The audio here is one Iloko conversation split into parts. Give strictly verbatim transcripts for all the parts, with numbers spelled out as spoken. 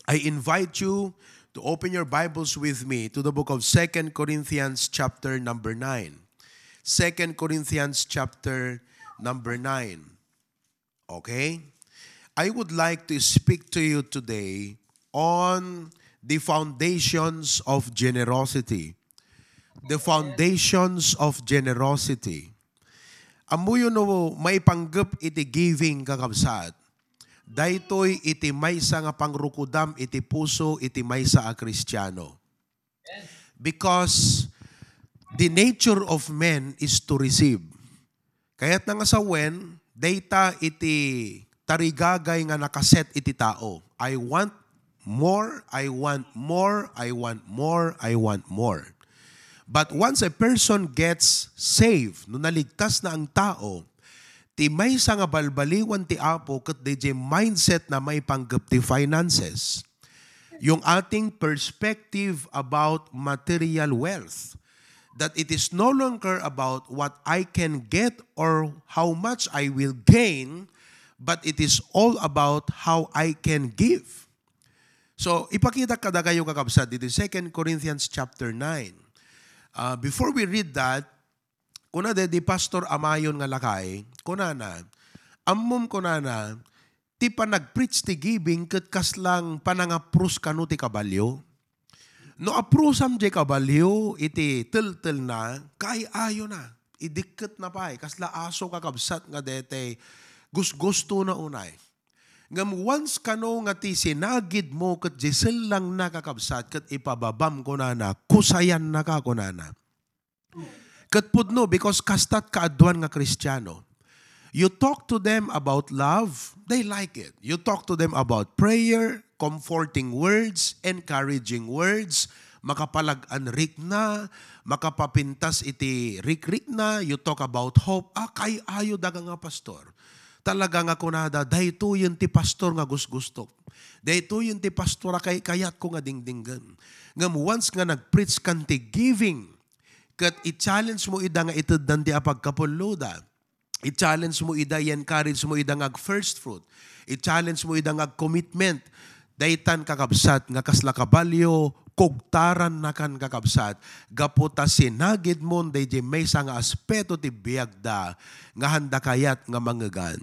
I invite you to open your Bibles with me to the book of Second Corinthians chapter number nine. Second Corinthians chapter number nine. Okay? I would like to speak to you today on the foundations of generosity. The foundations of generosity. Ammoyo no maipanggep iti giving, kakabsat, daytoy iti maysa nga pangrukudam iti puso iti maysa a Kristiano. Because the nature of men is to receive. Kayatna nga sawen, dayta iti tarigagay nga nakaset iti tao. I want more, I want more, I want more, I want more. But once a person gets saved, no naligtas na ang tao, ti maysa nga balbaliwan ti Apo ket dayjay mindset na maipanggep ti finances. Yung ating perspective about material wealth, that it is no longer about what I can get or how much I will gain, but it is all about how I can give. So, ipakita kadakayo, kakabsat, dito Second Corinthians chapter nine. Uh, before we read that, kuna di, di Pastor Amayon nga lakay, kunana, ammom kunana, ti panagpreach ti giving ket kaslang panangaprus kano ti kabalio. No aprusam jay kabalio iti teltelna, kaay-ayo na. Idikket na pay, kasla aso, kakabsat, nga dete gusgusto na unay. Ngem once kano nga ti sinagid mo ket di sellang na, kakabsat, ket ipababam kunana, kusayan na ka kunana. Ket pudno, because kastat kaaduan nga Kristiano. You talk to them about love, they like it. You talk to them about prayer, comforting words, encouraging words, makapalag-an rikna, makapapintas iti rikrikna, you talk about hope. Ah, kaay-ayo daga nga pastor. Talaga nga kunada, daytoyen ti pastor nga gusgustok. Daytoyen ti pastor a kay-, kayatko nga dingdinggen. Ngem once nga nagpreach kan ti giving, ket i-challenge mo ida nga iteddan ti apagkapulloda. I-challenge mo ida, i-encourage mo ida nga ag-first fruit. I-challenge mo ida nga ag-commitment. Daytan, kakabsat, nga kasla kabalio, kugtarannakan, kakabsat, gapu ta sinagidmon daydi maysa nga aspeto ti biagda nga handa kayat nga mangegan.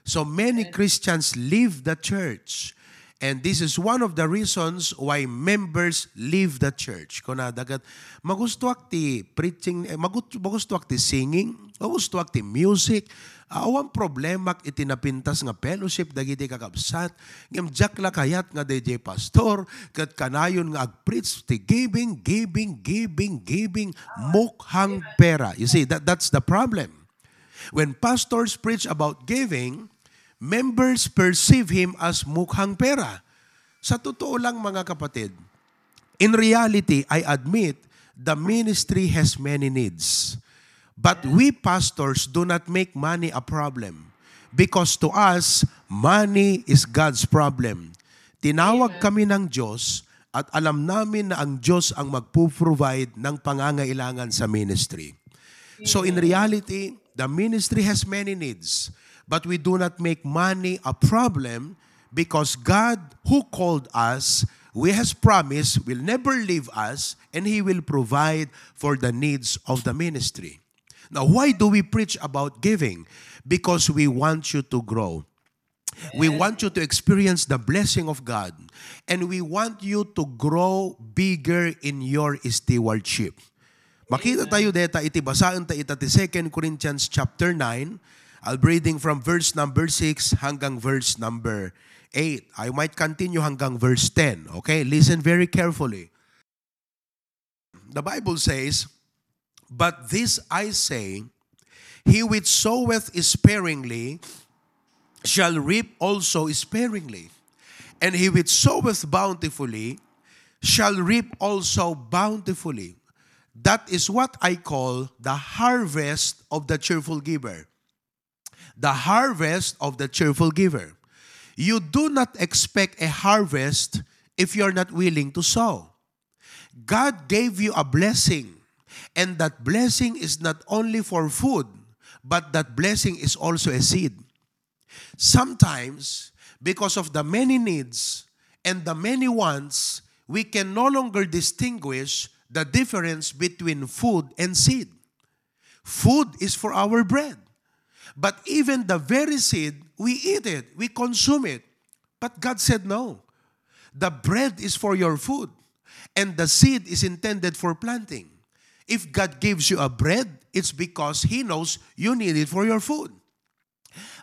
So many Christians leave the church. And this is one of the reasons why members leave the church. Kuna dagat, magustuak ti preaching, eh, magut-, magustuak ti singing, magustuak ti music. Ah, awan problemak iti napintas nga fellowship dagiti kakabsat. Ngem diak la kayat nga daydiay pastor, ket kanayon nga agpreach ti giving, giving, giving, giving, mukhang pera. You see, that, that's the problem. When pastors preach about giving, members perceive him as mukhang pera. Sa totoo lang, mga kapatid, in reality, I admit, the ministry has many needs. But we pastors do not make money a problem because to us, money is God's problem. Tinawag kami ng Diyos at alam namin na ang Diyos ang magpo-provide ng pangangailangan sa ministry. So in reality, the ministry has many needs, but we do not make money a problem because God who called us, we has promised, will never leave us, and He will provide for the needs of the ministry. Now, why do we preach about giving? Because we want you to grow. We want you to experience the blessing of God, and we want you to grow bigger in your stewardship. Makita tayo deta iti basaen ta ita ti Second Corinthians chapter nine. I'll be reading from verse number six hanggang verse number eight. I might continue hanggang verse ten. Okay? Listen very carefully. The Bible says, "But this I say, he which soweth sparingly shall reap also sparingly, and he which soweth bountifully shall reap also bountifully." That is what I call the harvest of the cheerful giver. The harvest of the cheerful giver. You do not expect a harvest if you're not willing to sow. God gave you a blessing, and that blessing is not only for food, but that blessing is also a seed. Sometimes, because of the many needs and the many wants, we can no longer distinguish the difference between food and seed. Food is for our bread. But even the very seed, we eat it, we consume it. But God said, "No. The bread is for your food, and the seed is intended for planting." If God gives you a bread, it's because He knows you need it for your food.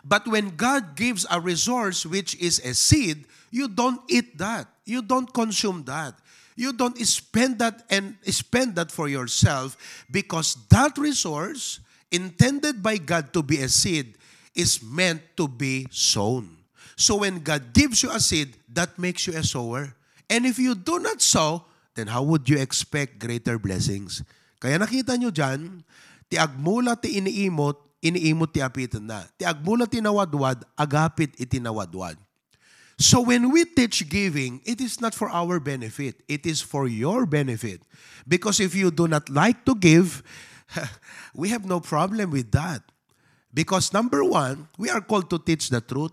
But when God gives a resource, which is a seed, you don't eat that. You don't consume that. You don't spend that and spend that for yourself, because that resource intended by God to be a seed is meant to be sown. So when God gives you a seed, that makes you a sower. And if you do not sow, then how would you expect greater blessings? Kaya nakita nyo dyan, ti agmula ti iniimot, iniimot ti apitenna. Ti agmula ti nawadwad, agapit iti nawadwad. So when we teach giving, it is not for our benefit. It is for your benefit. Because if you do not like to give, we have no problem with that. Because number one, we are called to teach the truth.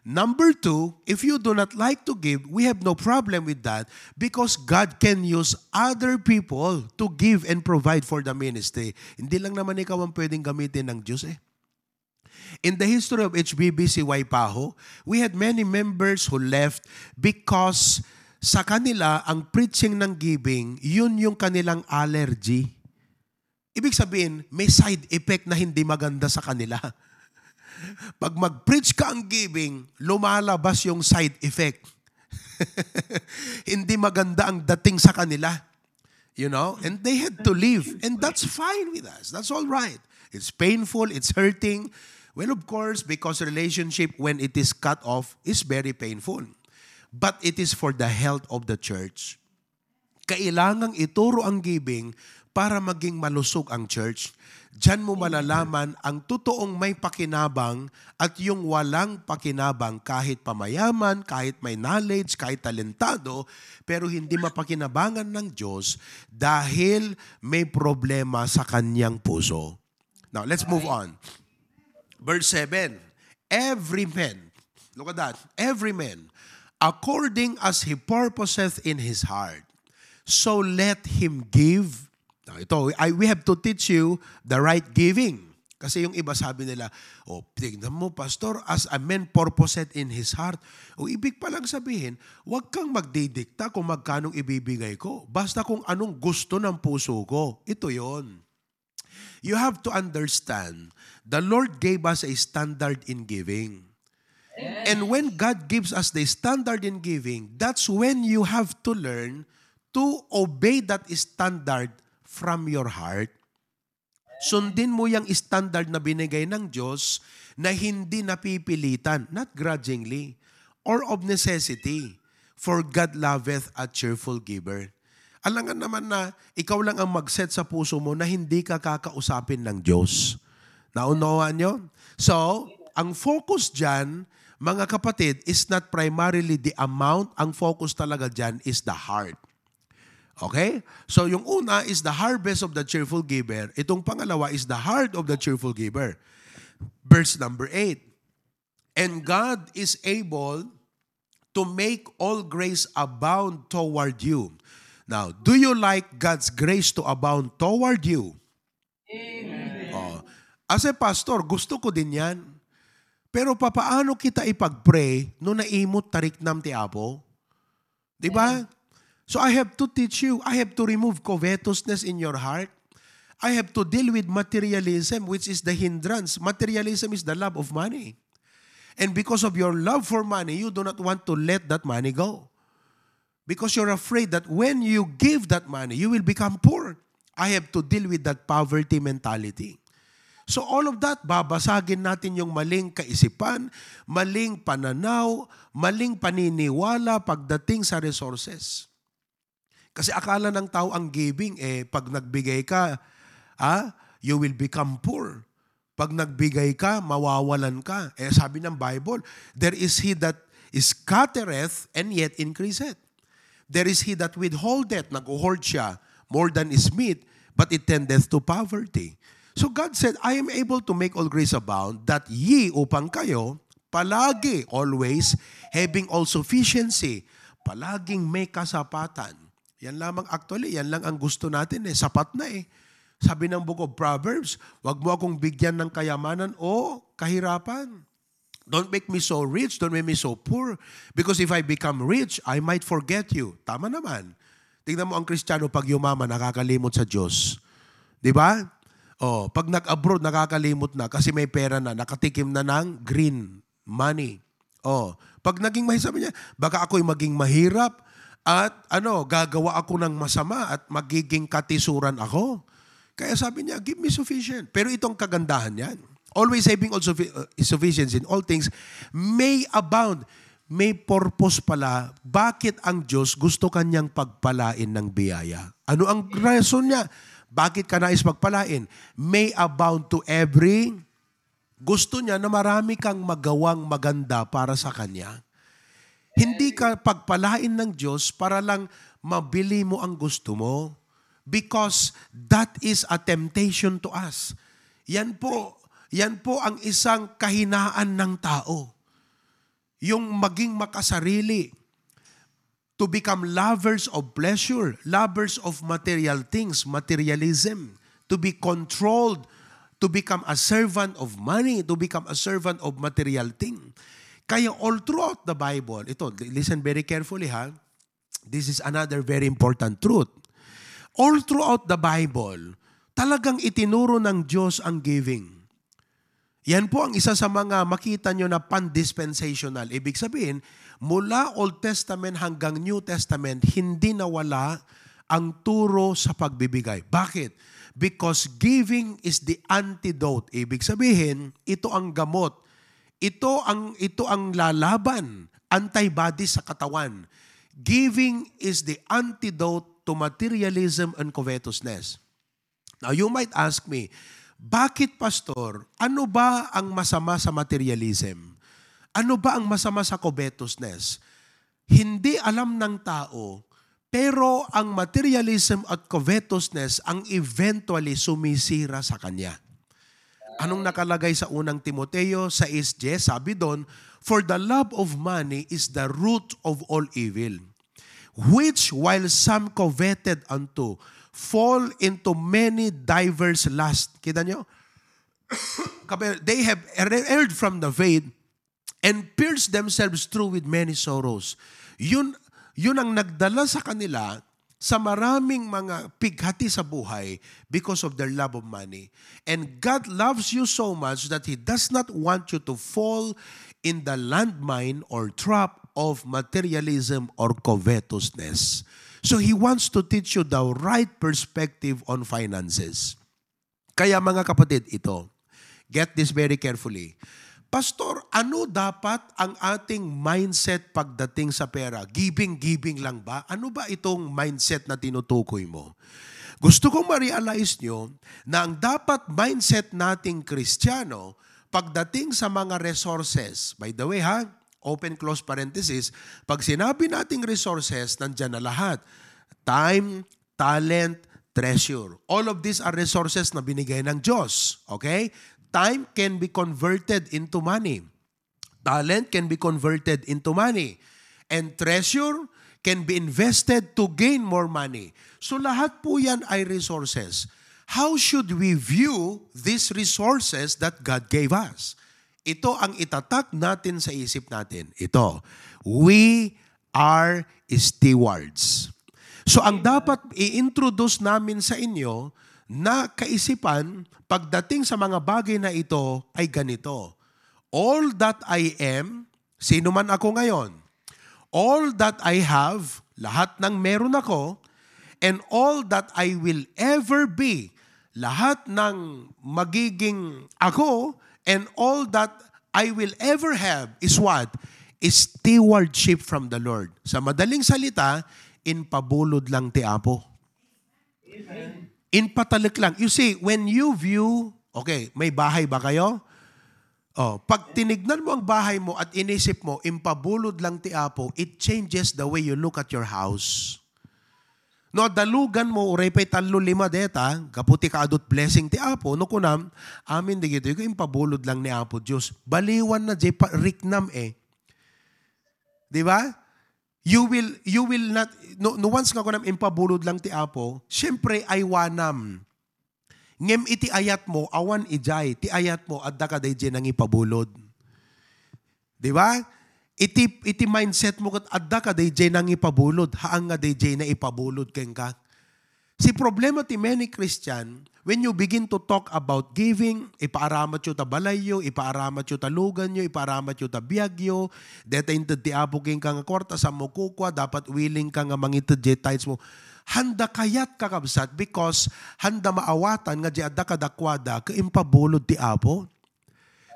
Number two, if you do not like to give, we have no problem with that, because God can use other people to give and provide for the ministry. Hindi lang naman ikaw ang pwedeng gamitin ng Diyos eh. In the history of H B B C Waipahu, we had many members who left because sa kanila, ang preaching ng giving, yun yung kanilang allergy. Ibig sabihin, may side effect na hindi maganda sa kanila. Pag mag-preach ka ang giving, lumalabas yung side effect. Hindi maganda ang dating sa kanila. You know? And they had to leave. And that's fine with us. That's all right. It's painful. It's hurting. Well, of course, because relationship, when it is cut off, is very painful. But it is for the health of the church. Kailangang ituro ang giving para maging malusog ang church. Diyan mo malalaman ang totoong may pakinabang at yung walang pakinabang, kahit pamayaman, kahit may knowledge, kahit talentado, pero hindi mapakinabangan ng Diyos dahil may problema sa kanyang puso. Now, let's move on. Verse seven, "Every man," look at that, "every man, according as he purposeth in his heart, so let him give." Now, ito, I, we have to teach you the right giving. Kasi yung iba sabi nila, "Oh, tingnan mo, Pastor, as a man purposeth in his heart." O ibig palang sabihin, wag kang magdidikta kung magkanong ibibigay ko. Basta kung anong gusto ng puso ko, ito yon. You have to understand, the Lord gave us a standard in giving. And when God gives us the standard in giving, that's when you have to learn to obey that standard from your heart. Sundin mo yung standard na binigay ng Diyos na hindi napipilitan, not grudgingly, or of necessity. "For God loveth a cheerful giver." Alangan naman na ikaw lang ang mag-set sa puso mo na hindi ka kakausapin ng Diyos. Naunawaan nyo? So, ang focus dyan, mga kapatid, is not primarily the amount. Ang focus talaga dyan is the heart. Okay? So, yung una is the harvest of the cheerful giver. Itong pangalawa is the heart of the cheerful giver. Verse number eight, "And God is able to make all grace abound toward you." Now, do you like God's grace to abound toward you? Amen. Oh. As a pastor, gusto ko din yan. Pero papaano kita ipag-pray no naimot tariknam ti Apo? Di ba? So I have to teach you. I have to remove covetousness in your heart. I have to deal with materialism, which is the hindrance. Materialism is the love of money. And because of your love for money, you do not want to let that money go. Because you're afraid that when you give that money, you will become poor. I have to deal with that poverty mentality. So all of that, babasagin natin yung maling kaisipan, maling pananaw, maling paniniwala pagdating sa resources. Kasi akala ng tao ang giving, eh, pag nagbigay ka, ah, you will become poor. Pag nagbigay ka, mawawalan ka. Eh, sabi ng Bible, "There is he that scattereth and yet increaseth. There is he that withholdeth," nag-hoard siya, "more than is meet, but it tendeth to poverty." So God said, "I am able to make all grace abound, that ye," upang kayo, "palagi, always, having all sufficiency, Palaging may kasapatan. Yan lamang, actually, yan lang ang gusto natin eh. Sapat na eh. Sabi ng Book of Proverbs, "Wag mo akong bigyan ng kayamanan o kahirapan. Don't make me so rich, don't make me so poor. Because if I become rich, I might forget you." Tama naman. Tingnan mo ang Kristiyano, pag yumaman, nakakalimot sa Diyos. Di ba? Oh, pag nag-abroad, nakakalimot na kasi may pera na, nakatikim na ng green money. Oh, pag naging mahi-, sabi niya, "Baka ako'y maging mahirap at ano, gagawa ako ng masama at magiging katisuran ako." Kaya sabi niya, "Give me sufficient." Pero itong kagandahan niyan. Always saving, all suffi-, uh, sufficiency in all things may abound. May purpose pala bakit ang Diyos gusto kanyang pagpalain ng biyaya. Ano ang rason niya? Bakit ka nais pagpalain? May abound to every, gusto niya na marami kang magawang maganda para sa kanya. Hindi ka pagpalain ng Diyos para lang mabili mo ang gusto mo. Because that is a temptation to us. Yan po, yan po ang isang kahinaan ng tao. Yung maging makasarili, to become lovers of pleasure, lovers of material things, materialism, to be controlled, to become a servant of money, to become a servant of material thing. Kaya all throughout the Bible, ito, listen very carefully ha, this is another very important truth. All throughout the Bible, talagang itinuro ng Diyos ang giving. Yan po ang isa sa mga makita nyo na pan-dispensational. Ibig sabihin, mula Old Testament hanggang New Testament, hindi nawala ang turo sa pagbibigay. Bakit? Because giving is the antidote. Ibig sabihin, ito ang gamot. Ito ang, ito ang lalaban, antibody sa katawan. Giving is the antidote to materialism and covetousness. Now, you might ask me, "Bakit, Pastor? Ano ba ang masama sa materialism? Ano ba ang masama sa covetousness?" Hindi alam ng tao, pero ang materialism at covetousness ang eventually sumisira sa kanya. Anong nakalagay sa unang Timoteo sais dies? Sabi doon, "For the love of money is the root of all evil, which while some coveted unto, fall into many diverse lusts." Kita nyo? Kape-, "They have erred from the faith and pierced themselves through with many sorrows." Yun, yun ang nagdala sa kanila sa maraming mga pighati sa buhay because of their love of money. And God loves you so much that He does not want you to fall in the landmine or trap of materialism or covetousness. So He wants to teach you the right perspective on finances. Kaya, mga kapatid, ito, get this very carefully. "Pastor, ano dapat ang ating mindset pagdating sa pera? Giving, giving lang ba?" Ano ba itong mindset na tinutukoy mo? Gusto kong ma-realize nyo na ang dapat mindset nating Kristiyano pagdating sa mga resources, by the way ha, open close parenthesis, pag sinabi nating resources, nandyan na lahat. Time, talent, treasure. All of these are resources na binigay ng Diyos. Okay? Time can be converted into money. Talent can be converted into money. And treasure can be invested to gain more money. So lahat po yan ay resources. How should we view these resources that God gave us? Ito ang itatak natin sa isip natin. Ito, we are stewards. So, ang dapat i-introduce namin sa inyo na kaisipan pagdating sa mga bagay na ito ay ganito. All that I am, sino man ako ngayon, all that I have, lahat ng meron ako, and all that I will ever be, lahat ng magiging ako, and all that I will ever have is what? Is stewardship from the Lord. Sa madaling salita, inpabulod lang ti Apo. Inpatalek lang. You see, when you view, okay, may bahay ba kayo? Oh, pag tinignan mo ang bahay mo at inisip mo, impabulod lang ti Apo, it changes the way you look at your house. No, dalugan mo, uray pa'y tallo, lima deta, gapu ti kaadut blessing ti Apo, no kunam, "Amin, digitoy ko impabulod lang ni Apo Dios." Baliwan na, jay pa, riknam eh. Di ba? You will, you will not, no, no once nga kunam impabulod lang ti Apo, siyempre, aywanam. Ngem iti ayatmo, awan idiay, ti ayatmo, adda kadi diay nangipabulod. Di ba? Iti, iti mindset mo ket adda kadi diay nangipabulod, haan nga diay na ipabulod kenka. Si problema ti many Christian, when you begin to talk about giving, ipaaramatyo ta balayyo, ipaaramatyo ta luganyo, ipaaramatyo ta biagyo, deta inted ti Apo kenka nga kwarta, saan mo kukua, dapat willing ka nga mangited diay tithes mo. Handa kayat, kakabsat, because handa maawatan nga diay adda kadakuada ket impabulod ti Apo.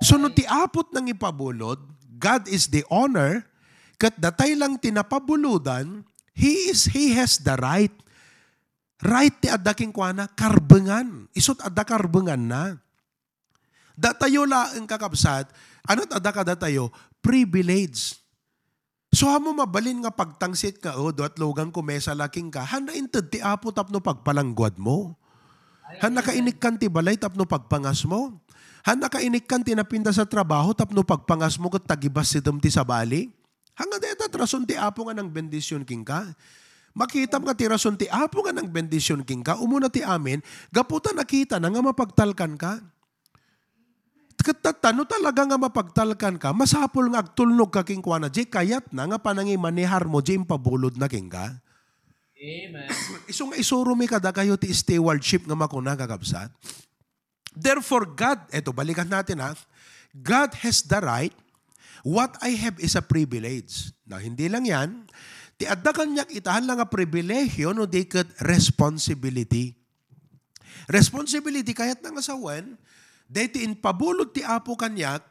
So, no ti Apo ti nangipabulod, God is the owner, ket datay lang ti napabulodan, he is, he has the right. Right ti adda kenkuana, karbengan. Isut adda karbenganna. Datayo laeng, kakabsat, ano ti adda kadatayo? Privilege. So, ammo mabalin nga pagtangsit nga, "Oh, duat lugan ko mesa la kenka." Handa inted ti Apo tapno pagpalangguad mo. Handa ka inikkan ti balay tapno pagpangas mo. Handa ka inikkan ti napintas a trabaho tapno pagpangas mo ket tagibasitem ti sabali. Hanga deta ti rason ti Apo nga nangbendision kenka. Makitam nga ti rason ti Apo nga nangbendision kenka, umuna ti amin, gapu ta nakitana nga mapagtalkan ka. Ket tatta, no talaga nga mapagtalkan ka, masapul nga agtulnog ka kenkuana, diay kayatna nga panangimanehar mo diay impabulodna kenka. Amen. Isu nga isuro mi kadakayo ti stewardship nga makuna, kakabsat. Therefore, God, eto, balikan natin, ha, God has the right, what I have is a privilege. Now, hindi lang yan, ti adda kaniak ita, haan la nga pribilehiyo, no di ket responsibility. Responsibility, kayatna nga sawen, daytoy impabulod ti Apo kaniak,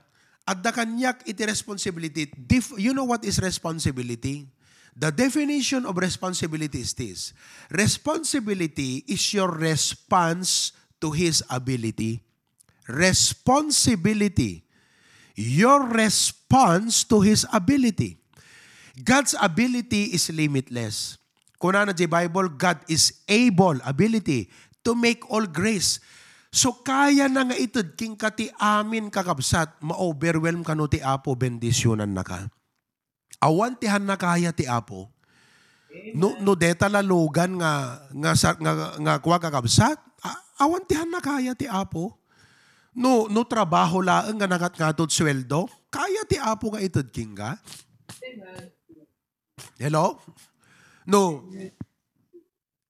adda kaniak iti responsibility. Dif-, you know what is responsibility? The definition of responsibility is this. Responsibility is your response to His ability. Responsibility. Your response to His ability. God's ability is limitless. Kunana diay Bible, "God is able, ability, to make all grace." So, kayana nga ited kenka ti amin, kakabsat, ma-overwhelm kano ti Apo, bendisionannaka. Awan ti haan a kaya ti Apo. No, no deta la lugan nga, nga sa-, nga, nga kua, kakabsat, a-, awan ti haan a kaya ti Apo. No, no trabaho laeng nga nangatngato ti sueldo, kaya ti Apo nga ited kenka. Hello? No,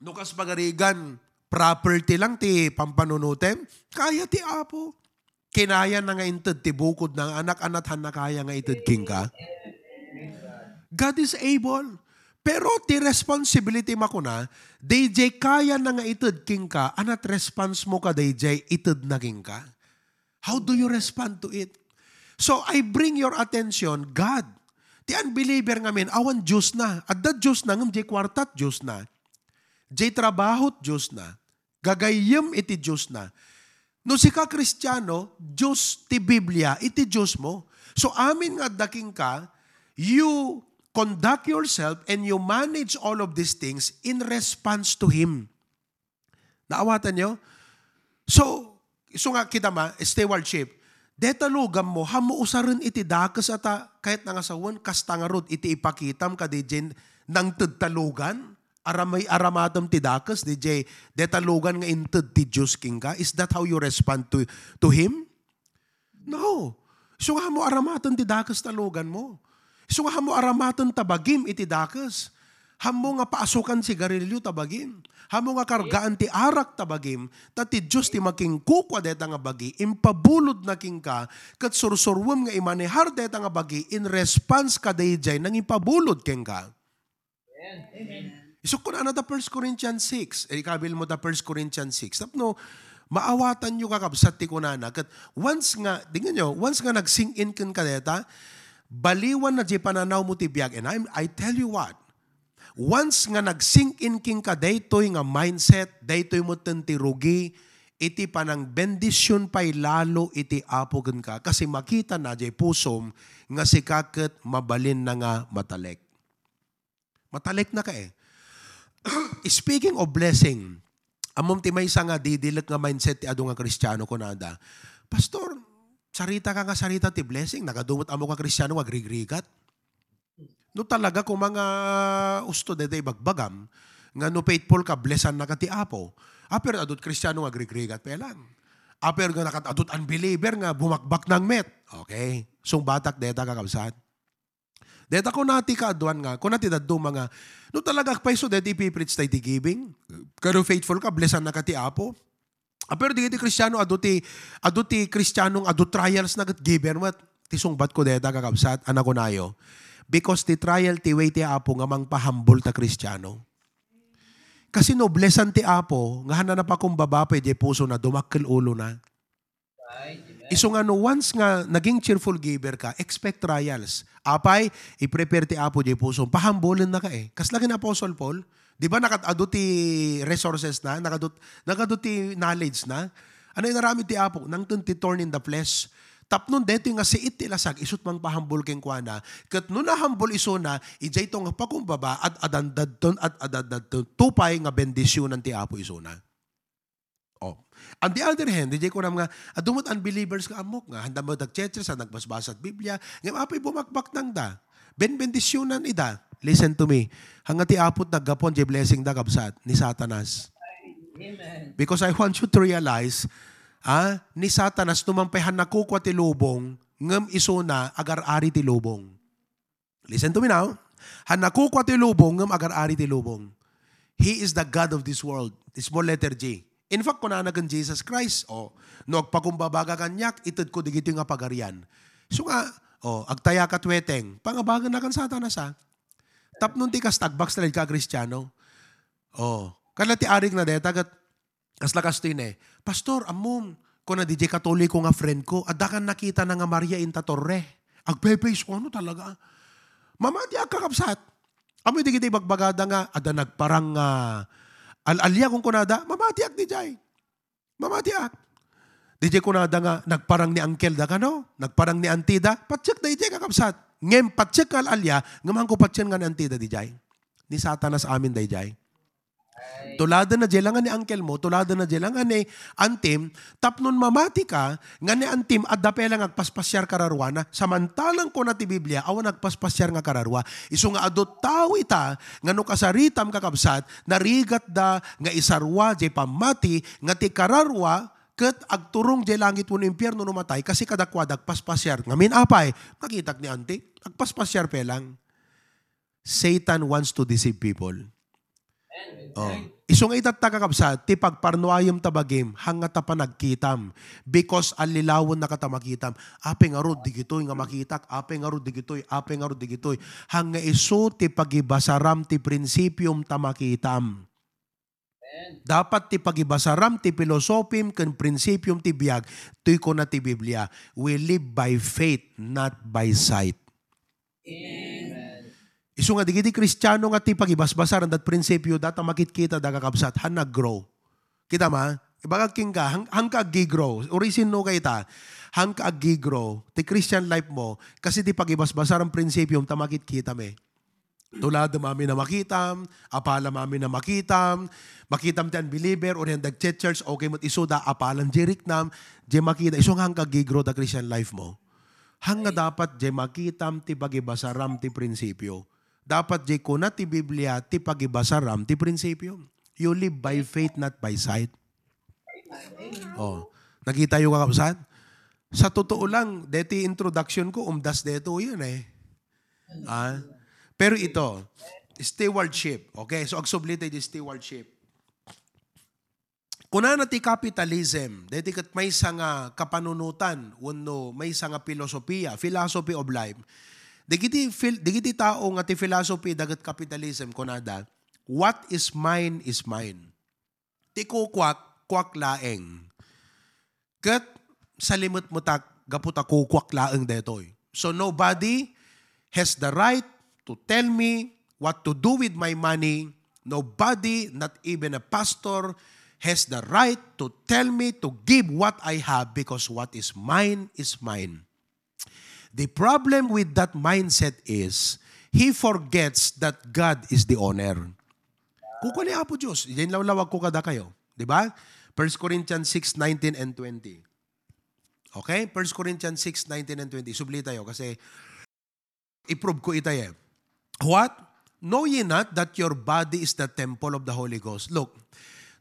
no kas pagarigan, property lang ti pampanunotem, kaya ti Apo. Kinayana nga inted ti bukodna nga anak, anak, haan a kaya nga ited kenka. God is able. Pero ti responsibility makuna, daydiay kayana nga ited kenka, anat response mo kadaydiay itedna kenka? How do you respond to it? So, I bring your attention, God. Ti unbeliever ngamin, awan Diosna. Adda Diosna, ngem diay kuartat Diosna. Diay trabahot Diosna. Gagayyem iti Diosna. No sika Kristiano, Dios ti Biblia iti Dios mo. So, amin nga adda kenka, you conduct yourself and you manage all of these things in response to Him. Naawatan nyo? So, isu nga kita ma, stewardship, deta lugan mo, haan mo usaren iti dakes a ta, kayatna nga sawen, kasta ngarud iti ipakitam kadi diay nangted ta lugan, aramay, aramatem ti dakes, diay deta lugan nga inted ti Dios kenka. Is that how you respond to, to Him? No. Isu nga haan mo aramaten ti dakes ta lugan mo. Isu nga haan mo aramaten ta bagim iti dakes. Haan mo nga paasukan sigarilio ta bagim. Haan mo nga kargaan ti arak ta bagim. Ta ti Dios ti makinkukua deta nga bagi. Impabulodna kenka, ket sursuruem nga imanehar deta nga bagi in response kadaydiay nangipabulod kenka. Amen. Isukko na ta First Corinthians six. Eh, ikabil mo ta First Corinthians six. Tapno, maawatan nyo, kakabsat, ti kunana. Ket once nga, tingnan nyo, once nga nag-sink in kenka deta, baliwan na di pananaw mo ti biag. And I'm, I tell you what, once nga nag-sink in kenka daytoy nga mindset, daytoy metten ti rugi, iti panangbendision pay lalo iti Apo kenka, kasi makita na di pusom nga sika ket mabalin na nga matalek. Matalek na ka eh. Speaking of blessing, ammom ti maysa nga didilek nga mindset ti adu nga Kristiano, kunada, "Pastor, sarita ka nga sarita ti blessing, nagadu met ammo ka Kristiano nga agrigrigat." No talaga koma nga usto dayta ibagbagam, nga no faithful ka, blessan na ka ti Apo. Apay adu ti Kristiano nga agrigrigat pay lang. Apay nga nakat-adu ti unbeliever nga bumakbaknang met. Okay. Sungbatak dayta, kakabsat. Dayta kuna ti kaaduan nga, kuna ti dadduma nga, no talaga pay isu dayta ipipreach tayo ti giving, kano faithful ka, blessan na ka ti Apo. Ah, pero dagiti Kristiano, adu ti, adu ti Kristiano nga adu trials na ket giver met. Ti sungbat ko dayta, kakabsat, a nakunayo. Because ti trial ti way ti Apo nga mangpahambol ta Kristiano. Kasi no blessan ti Apo, nga hana napakumbaba pay di pusona, dumakkel ulona. Isu nga no once nga naging cheerful giver ka, expect trials. Apay, i-prepare ti Apo di pusom. Pahambulen na ka eh. Kasla ken Apostle Paul, di ba nakat-adu ti resources na, nakadu, nakadu ti knowledge na? Ano inaramid ti Apo? Nangton ti thorn in the flesh. Tapnon daytoy nga siit ti lasag, isut mangpahambol kenkuana. Ket no nahambol isuna, idiay to nga pakumbaba, ad-adan dadton, ad-adan dadton. Tupay nga bendisionan ti Apo isuna. Oh. On the other hand, diay kunam nga, adu met unbelievers nga ammok nga, handa met agchurch, sa nagbasbasat Biblia, ngem apay bumakbaknang da. Benbendisionan ida. Listen to me. Hanga ti Apo ti naggapuan diay blessing da, kabsat, ni Satanas. Amen. Because I want you to realize, ah, ni Satanas, no man pay han nakukua ti lubong, ngem isuna, agar-ari ti lubong. Listen to me now. Han nakukua ti lubong, ngem agar-ari ti lubong. He is the God of this world. Small letter G. In fact, kunana ken Jesus Christ, oh, no agpakumbaba ka kaniak, itedko digitoy nga pagarian. So nga, oh, agtaya ka tuweteng, pangabagan na kan Satanas, ha? Tapnon ti kasta, agbackslide ka a Kristiano. Oh, kada ti arig na deta, ket Kasla kastoy ne, "Pastor, ammom, kuna diay Katoliko nga friend ko, adda kan nakitana nga Maria inta Torre." Agpepes ko, "Ano talaga?" Mamatiak, kakabsat. Amoy digiti ibagbagada nga, adda nagparang nga al-alia, kunkunada, mamatiak diay. Mamatiak. Diay kunada nga, nagparang ni uncle da kano, nagparang ni auntie da, patsek da diay, kakabsat. Ngem patsek nga al-alia, ngem hanko patsek nga ni auntie da diay. Ni Satanas amin daydiay. Tuladen na diay lang nga ni uncle mo, tuladen na diay lang nga ni auntie m, tapnon mamati ka, nga ni auntie m, adda pay lang agpaspasiar kararua na. Samantalang kuna ti Biblia, awan agpaspasiar nga kararua. Isu nga adu tao ita, nga no kasaritam, kakabsat, narigatda nga isarua diay pammati, nga ti kararua, ket agturong diay langit wenno impierno no matay, kasi kadakuada agpaspasiar. Ngamin apay, nakitak ni auntie, agpaspasiar pay lang. Satan wants to deceive people. Oh. Isu nga itatta, kakabsat, ti pagparnuayem ta bagim, hanga ta panagkitam. Because allilawen na ka ta makitam. Apay ngarud digitoy nga makitak, apay ngarud digitoy, apay ngarud digitoy. Hanga isu ti pagibasaram ti prinsipiom ta makitam. Dapat ti pagibasaram ti pilosopim ken prinsipiom ti biag, toy kuna ti Biblia, "We live by faith, not by sight." Amen. Isu nga digiti Kristiano nga ti pagibasbasaran dat prinsipio, data makitkita da, kakabsat, han nag-grow. Kita ma? Ibagak kenka, han, hanka aggi-grow. Uri sinno ka ita? Hanka aggi-grow. Ti Christian life mo, kasi ti pagibasbasaran prinsipiom, ta makitkita mi. Tuladem amin a makitam, apalam amin a makitam, makitam ti unbeliever, uri nga nagche-church, okay met isuda, apalan diay riknam, diay makita, isu nga hanka aggi-grow ta Christian life mo. Hanga dapat diay makitam ti pagibasaram ti prinsipio. Dapat diay kuna ti Biblia ti pagibasaram ti prinsipio. You live by faith, not by sight. Oh, nakita yo, kakabsat? Sa totoo lang, deti introduction ko, umdas deto yan eh. Ah, pero ito, stewardship. Okay, so agsubli tayo di stewardship. Kunana ti capitalism, deti ket maysa nga kapanunotan wenno maysa nga filosofia, philosophy of life. Dagiti fil-, dagiti tao nga ti philosophy daket capitalism, kunada, "What is mine is mine." Ti kukuak, kuak laeng. Ket salimetmetak gapu ta kukuak laeng daytoy. So nobody has the right to tell me what to do with my money. Nobody, not even a pastor, has the right to tell me to give what I have, because what is mine is mine. The problem with that mindset is, he forgets that God is the owner. Kukua ni Apo Dios, diay lawlawag ko kadakayo. Di ba? First Corinthians six nineteen and twenty. Okay? First Corinthians six nineteen and twenty. Subli tayo kasi i-prove ko ita eh. What? Know ye not that your body is the temple of the Holy Ghost? Look,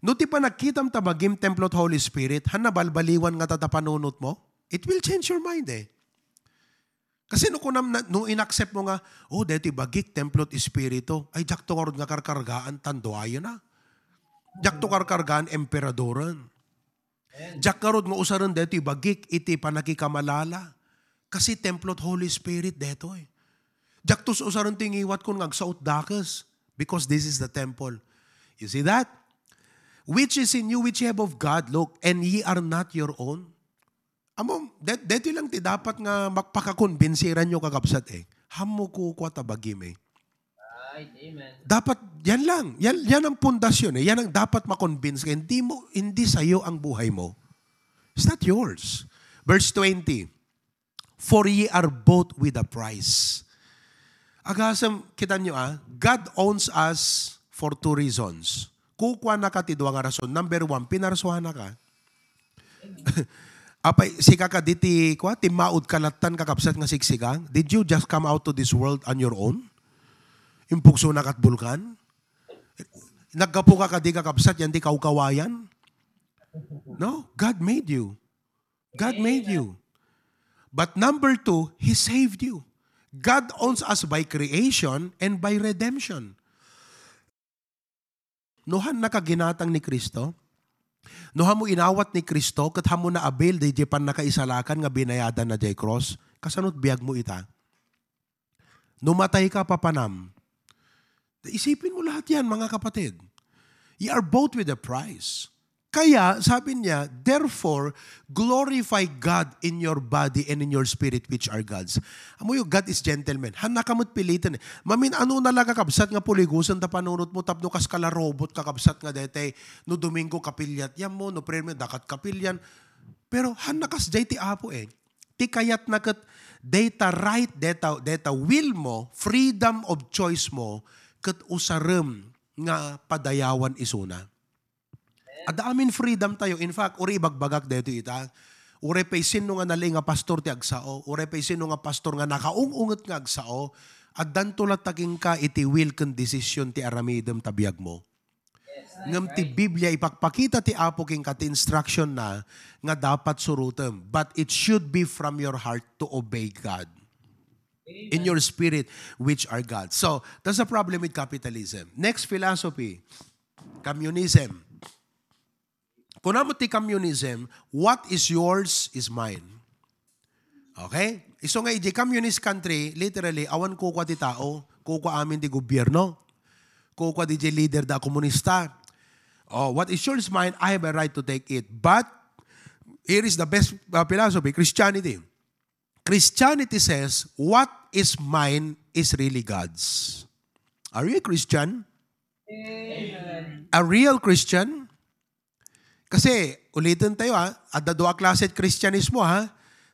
no ti panagkitam ta bagim templo ti Holy Spirit, han nabalbaliwan nga ta panunot mo? It will change your mind eh. Kasi no kunam na, no inaccept mo nga, "Oh, daytoy bagik, templo ti Espiritu," ay, diak to ngarud nga karkargaan, tan duayen na. Diak to karkargaan, emperadoren. Diak ngarud nga usaren daytoy bagik iti panakikamalala. Kasi templo ti Holy Spirit daytoy. Diak to usaren ti ngiwat ko nga agsaot dakes. Because this is the temple. You see that? Which is in you, which you have of God, look, and ye are not your own. Amo, det-, deti lang ti dapat nga makpakakonbinsiran nyo, kakabsat, eh. Hammo kukua ta bagim, eh. Right, amen. Dapat, yan lang. Yan, yan ang pundasyon, eh. Yan ang dapat makonbinsi ka. Hindi mo, hindi sa'yo ang buhay mo. It's not yours. Verse twenty, "For ye are bought with a price." Agasem, kita nyo, ah, God owns us for two reasons. Kukuana ka ti dua nga rason. Number one, pinarsuana ka. Apay, sika kadi ti, kwa, timmaud ka lattan, kakabsat, nga sigsigang? Did you just come out to this world on your own? Impugso na kat bulkan? Naggapu ka kadi, kakabsat, yan ti kawkawayan? No, God made you. God made you. But number two, He saved you. God owns us by creation and by redemption. No han nakaginatang ni Cristo? No han mo inawat ni Cristo, ket han mo na-avail di pannakaisalakan nga binayadan na jay cross, kasano't biag mo ita? No matay ka, papanam. Isipin mo lahat yan, mga kapatid. You are bought with a price. Kaya, sabi niya, "Therefore, glorify God in your body and in your spirit, which are God's." Amo yung God is gentleman. Han nakamat pilitan eh. Mamin, ano na lang, kakabsat, nga puligusan ta panunot mo, tapno kas kala robot, kakabsat, nga dete, no Domingo kapiliat yan mo, no prayer mo, dakat kapilian. Pero han nakas jay ti Apo eh. Ti kayatna ket dayta right, dayta, dayta will mo, freedom of choice mo, ket usarem nga padayawan isuna. Adda amin freedom tayo. In fact, uri ibagbagak daytoy ita. Uray pay sinno nga nalaing nga pastor ti agsao, uray pay sinno nga pastor nga nakaung-unget nga agsao, addanto latta kenka iti will ken decision ti aramidem ta biag mo. Ngem ti Biblia, ipakpakita ti Apo kenka ti instruction na nga dapat surotem, but it should be from your heart to obey God. In your spirit, which are God. So, that's the problem with capitalism. Next philosophy, communism. Kunam ti communism, what is yours is mine. Okay? Isu nga iti communist country, literally, awan kukua ti tao, kukua amin ti gobierno, kukua di leader da komunista. Oh, what is yours is mine, I have a right to take it. But, here is the best uh, philosophy, Christianity. Christianity says, "What is mine is really God's." Are you a Christian? Amen. A real Christian? Kasi, ulitin tayo ha, adda dua klase ti Kristianismo ha.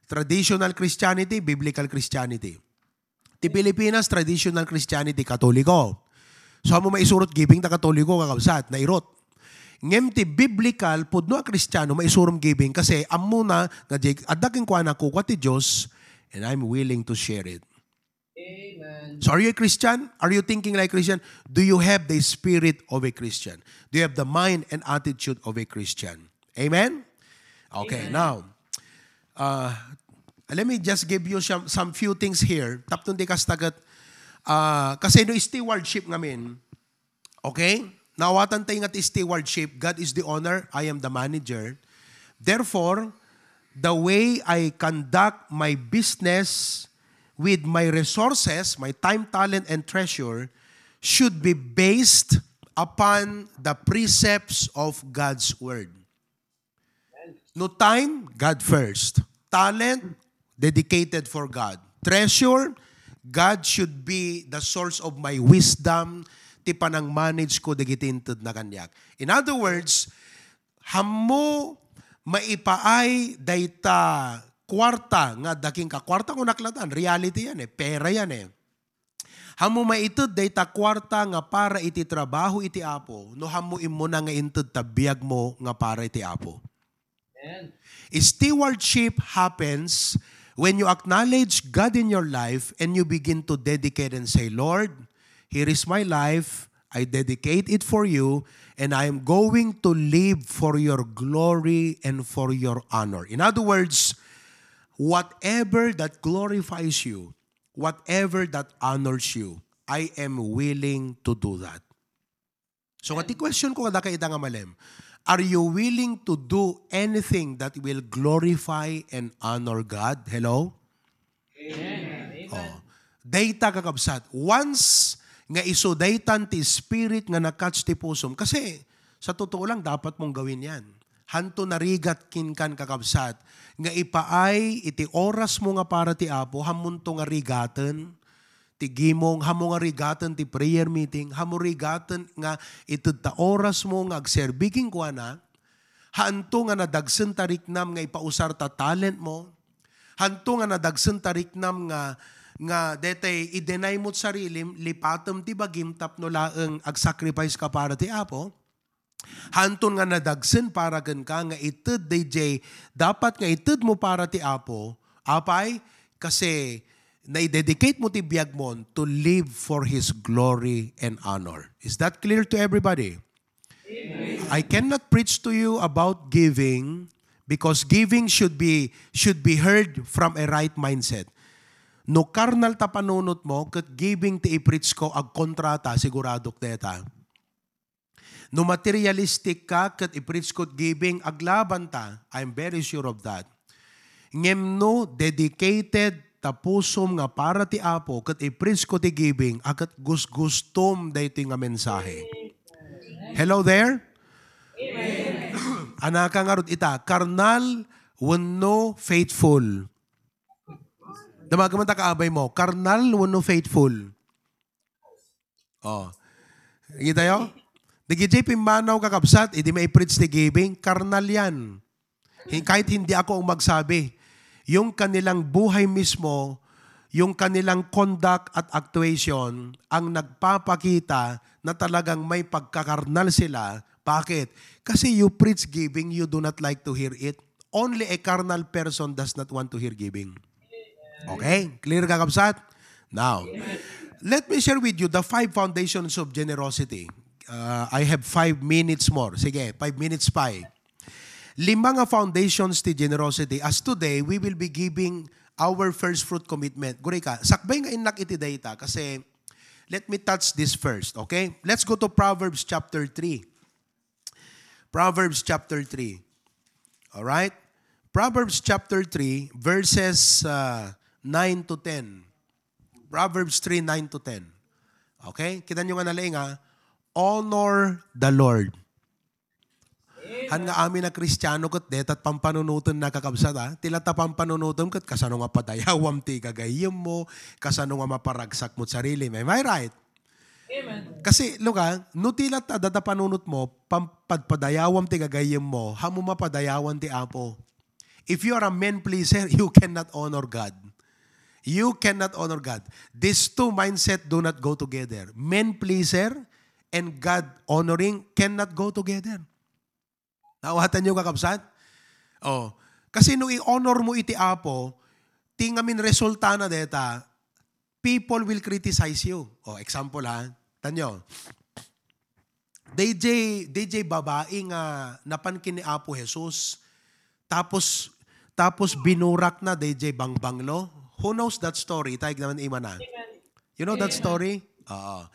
Traditional Christianity, biblical Christianity. Ti Pilipinas, traditional Christianity, Katoliko. So, amo maisurot giving ta Katoliko, kakabsat, nairot. Ngem ti biblical, pudno a Kristiano, maisurom giving kasi ammona nga di, adda kenkuana kukua ti Dios, and I'm willing to share it. Amen. So are you a Christian? Are you thinking like Christian? Do you have the spirit of a Christian? Do you have the mind and attitude of a Christian? Amen? Okay, amen. Now, uh, let me just give you some, some few things here. Tapno di kas tagat, uh, kasi no stewardship ngamin, okay? Naawatan tayo nga ti stewardship. God is the owner, I am the manager. Therefore, the way I conduct my business with my resources, my time, talent, and treasure should be based upon the precepts of God's word. No time, God first. Talent, dedicated for God. Treasure, God should be the source of my wisdom, ti panang-manage ko dagiti intedna kaniak. In other words, hammo maipaay dayta kuarta nga adda kenka, kuarta kunak latan, reality yan eh, pera yan eh. Hammo maited dayta kuarta nga para iti trabaho iti Apo, no hammo immuna nga inted ta biag mo nga para iti Apo. Amen. Stewardship happens when you acknowledge God in your life and you begin to dedicate and say, "Lord, Here is my life. I dedicate it for you, and I am going to live for your glory and for your honor." In other words, whatever that glorifies you, whatever that honors you, I am willing to do that. So, nga ti question ko kadakayo ita nga malem, are you willing to do anything that will glorify and honor God? Hello? Amen. Oh. Dayta, kakabsat, once nga isu daytan ti spirit nga na-catch ti pusom, kasi sa totoo lang, dapat mong gawin yan. Hanto narigat kenkan, kakabsat, nga ipaay iti oras mo nga para ti Apo, hammonto nga rigaten ti gimong, hammo nga rigaten ti prayer meeting, hammo rigaten nga ited ta oras mo nga agserbi kenkuana, hanto nga nadagsen ta riknam nga ipausar ta talent mo, hanto nga nadagsen ta riknam nga, nga detay i-deny mo ti sarilim, lipatem ti bagim tapno laeng ag-sacrifice ka para ti Apo, hanton nga nadagsen para kenka nga ited dayjay dapat nga ited mo para ti Apo, apay, kasi naidedicate mo ti biag mo to live for His glory and honor. Is that clear to everybody? Amen. I cannot preach to you about giving because giving should be, should be heard from a right mindset. No karnal ta panunot mo, ket giving ti i-preach ko, agkontrata, siguradok deta. No materialistic ka ket i-preach ko ti giving, aglabanta. I'm very sure of that. Ngem no dedicated ta pusom nga para ti Apo ket i-preach ko ti giving, a ket gusgustom daytoy nga mensahe. Hello there? Amen. Anaka ngarud ita, karnal wenno faithful? Damagen man ta kaabay mo, karnal wenno faithful? Oh. Kita yo? Dagiti pimmanaw, kakabsat, idi mai-preach ti giving, karnal yan. Hin-, kahit hindi ako ang magsabi, yung kanilang buhay mismo, yung kanilang conduct at actuation ang nagpapakita na talagang may pagkakarnal sila. Bakit? Kasi you preach giving, you do not like to hear it. Only a carnal person does not want to hear giving. Okay? Clear, kakabsat? Now, let me share with you the five foundations of generosity. Uh, I have five minutes more. Sige, five minutes pa eh. Lima nga foundations ti generosity. As today, we will be giving our first fruit commitment. Guri ka, sakbay nga innak iti dayta kasi let me touch this first, okay? Let's go to Proverbs chapter three. Proverbs chapter three. All right? Proverbs chapter three, verses, uh, nine to ten. Proverbs three, nine to ten. Okay? Kita nyo nga nalaing, ha? Honor the Lord. Han nga amin a Kristiano ket detat pampanunoten, nakakabsat, ha? Ti latta pampanunotem ket kasano nga padayawam ti gagayyem mo, kasano nga maparagsak mo sarili. Am I right? Amen. Kasi, luka, no ti latta data panunot mo, pam-, padpadayawam ti gagayyem mo, hammo mapadayawan ti Apo. If you are a men pleaser, you cannot honor God. You cannot honor God. These two mindset do not go together. Men pleaser and God honoring cannot go together. Naawatan niyo, kakabsat? Oh. Kasi no i-honor mo iti Apo, ti ngamin resulta na deta, people will criticize you. Oh, example ha. Tanyo. D J, D J babae nga napan ken ni Apo Jesus. Tapos, tapos binurak na D J Bangbanglo. Who knows that story? Taig naman imana. You know that story? Oo.